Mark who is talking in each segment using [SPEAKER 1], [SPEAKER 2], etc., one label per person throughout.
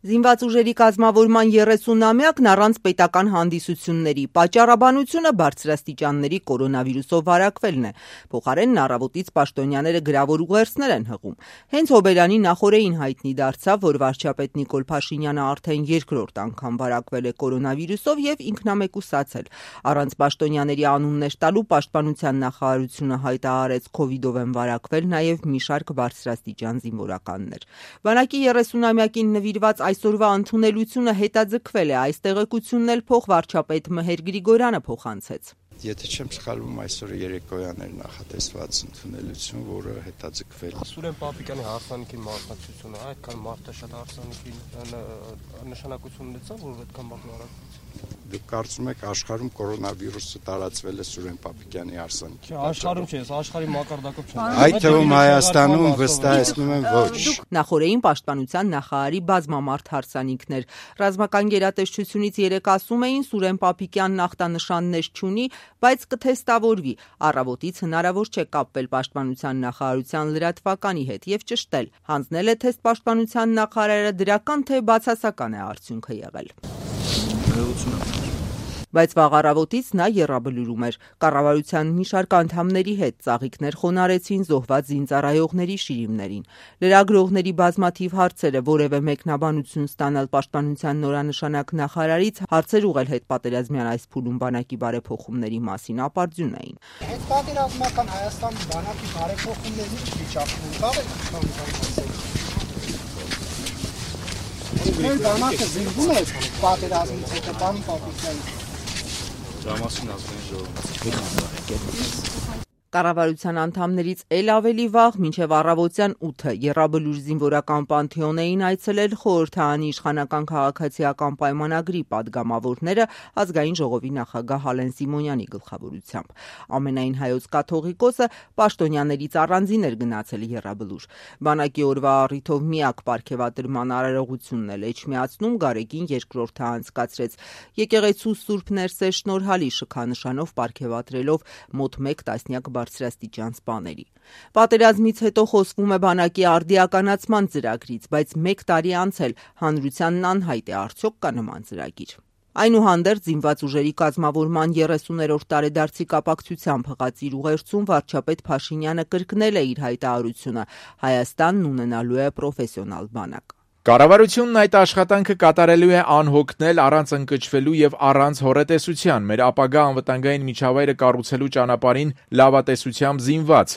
[SPEAKER 1] Զինված ուժերի կազմավորման 30-ամյակն առանց պետական հանդիսությունների, պատճառաբանությունը բարձրաստիճանների կորոնավիրուսով վարակվելն է, փոխարենն առավոտից պաշտոնյաները գրավոր ուղերձներ են հղում։ Հենց Հոբելյանի նախօրեին հայտնի դարձավ, որ վարչապետ Նիկոլ Փաշինյանը արդեն երկրորդ անգամ վարակվել է կորոնավիրուսով եւ ինքնամեկուսացել։ Առանց պաշտոնյաների անուններ տալու պաշտպանության նախարարությունը հայտարարեց քովիդով են վարակվել նաեւ մի շարք բարձրաստիճան զինվորականներ։ Բանակի 30-ամյակին նվիրված այսօրվա ընդունելությունը հետաձգվել է, այս տեղեկությունն էլ փոխվարչապետ Մհեր Գրիգորյանը փոխանցեց։
[SPEAKER 2] Եթե չեմ սխալվում, այսօր երեկոյան էր նախատեսված ընդունելություն, որը հետաձգվել է։
[SPEAKER 3] Սուրեն Պապիկյանի հարսանիքի մասնակցությունը, այդքան մարդը շատ հարսանիքի նշանակություն ունեցավ, որ այդքան մարդու արագ։
[SPEAKER 2] Դուք կարծում եք աշխարհում կորոնավիրուսը տարածվել է Սուրեն Պապիկյանի հարսանիքի։
[SPEAKER 3] Չէ, աշխարհում չէ, աշխարհի մակարդակով չէ։
[SPEAKER 2] Այդ թվում Հայաստանում վստահեցնում եմ ոչ։
[SPEAKER 1] Նախորդին պաշտպանության նախարարի բազմամարդ հարսանիքներ։ Ռազմական գերատեսչությունից 3 ասում էին Սուրեն Պապիկյանն ախտանշաններ չունի, բայց կթեստավորվի։ Առավոտից հնարավոր չէ կապվել պաշտպանության նախարարության լրատվականի հետ եւ ճշտել։ Հանձնել է թեստ պաշտպանության նախարարը, դրական թե բացասական է արդյունքը եղել։ Բայց վաղ առավոտից նա եռաբլուրում էր։ Կառավարության մի շարք անդամների հետ ծաղիկներ խոնարհեցին զոհված զինծառայողների շիրիմներին։ Լրագրողների բազմաթիվ հարցերը որևէ մեկնաբանություն ստանալ պաշտպանության նորանշանակ նախարարից, հարցեր ուղղել հետպատերազմյան այս փուլում բանակի բարեփոխումների մասին ապարդյուն էին։
[SPEAKER 4] Հետպատերազմական Հայաստանի բանակի բարեփոխումների վիճակն Մեր բանակը զինվում է պատերազմից հետո բան Պապիկյանը։
[SPEAKER 3] Դրամասին ազգային ժողովուրդ։
[SPEAKER 1] Կառավարության անդամներից էլ ավելի վաղ, մինչև առավոտյան 8-ը Եռաբլուր զինվորական պանթեոն էին այցելել խորհրդարանի իշխանական քաղաքացիական պայմանագրի падգամավորները ազգային ժողովի նախագահ Հալեն Սիմոնյանի գլխավորությամբ։ Ամենայն հայոց կաթողիկոսը պաշտոնյաներից առանձին էր գնացել Եռաբլուր։ Բանակի օրվա առիթով միակ պարգևատրման արարողությունն էլ Էջմիածնում Գարեգին II-ը անցկացրեց։ Եկեղեցու Սուրբ Ներսեր շնորհալի շքանշանով պարգևատրելով մոտ 1 տասնյակ բարձրաստիճան սպաների։ Պատերազմից հետո խոսվում է բանակի արդիականացման ծրագրից, բայց 1 տարի անցել հանրությանն անհայտ է արդյոք կա նման ծրագիր։ Այնուհանդերձ զինված ուժերի կազմավորման 30-րդ տարեդարձի կապակցությամբ հղած իր ուղերձում վարչապետ Փաշինյանը կրկնել է իր հայտարարությունը՝ Հայաստանն ունենալու է պրոֆեսիոնալ բանակ։
[SPEAKER 5] Կառավարությունն այդ աշխատանքը կատարելու է անհոգնել, առանց ընկճվելու եւ առանց հոռետեսության, մեր ապագա անվտանգային միջավայրը կառուցելու ճանապարհին լավատեսությամբ զինված։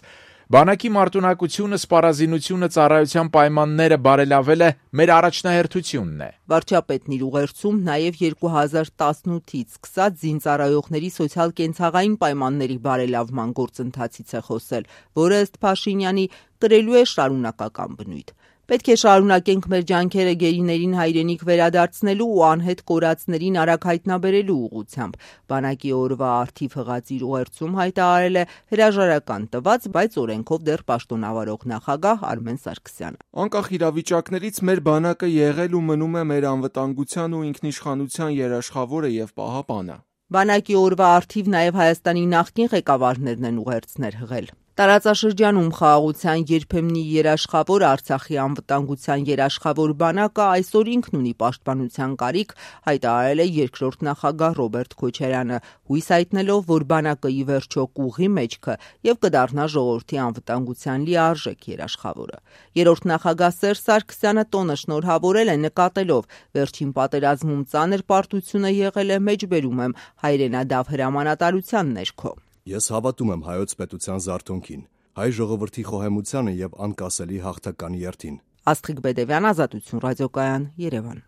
[SPEAKER 5] Բանակի մարտունակությունը, սպառազինությունը, ծառայության պայմանները բարելավելը մեր առաջնահերթությունն է։
[SPEAKER 1] Վարչապետն իր ուղերձում նաև 2018-ից սկսած զինծառայողների սոցիալ-կենցաղային պայմանների բարելավման գործընթացից է խոսել, որը ըստ Փաշինյանի կրելու է շարունակական բնույթ։ Պետք է շարունակենք մեր ջանքերը գերիներին հայրենիք վերադարձնելու ու անհետ կորածներին արագ հայտնաբերելու ուղղությամբ։ Բանակի օրվա արդիվ հղած իր ուղերձում հայտարարել է հրաժարական տված, բայց օրենքով դեռ պաշտոնավարող նախագահ Արմեն Սարգսյանը։
[SPEAKER 6] Անկախ իրավիճակներից մեր բանակը եղել ու մնում է մեր անվտանգության ու ինքնիշխանության երաշխավորը եւ պահապանը։
[SPEAKER 1] Բանակի օրվա արդիվ նաև Հայաստանի նախկին ղեկավարներն են ուղերձներ հղել։ Տարածաշրջանում խաղաղության երբեմնի երաշխավոր Արցախի անվտանգության երաշխավոր բանակը այսօր ինքն ունի պաշտպանության կարիք, հայտարարել է երկրորդ նախագահ Ռոբերտ Քոչարյանը, հույս հայտնելով, որ բանակը ի վերջո կուղղի մեջքը եւ կդառնա ժողովրդի անվտանգության լիարժեք երաշխավորը։ Երրորդ նախագահ Սերժ Սարգսյանը տոնը շնորհավորել է նկատելով վերջին պատերազմում ծանր պարտությունը եղել է մեջբերում եմ հայրենադավ հրամանատարության ներքո։
[SPEAKER 7] Ես հավատում եմ հայոց պետության զարթոնքին, հայ ժողովրդի խոհեմությանը եւ անկասելի հաղթական երթին։
[SPEAKER 1] Աստղիկ Բեդևյան, Ազատություն ռադիոկայան, Երևան։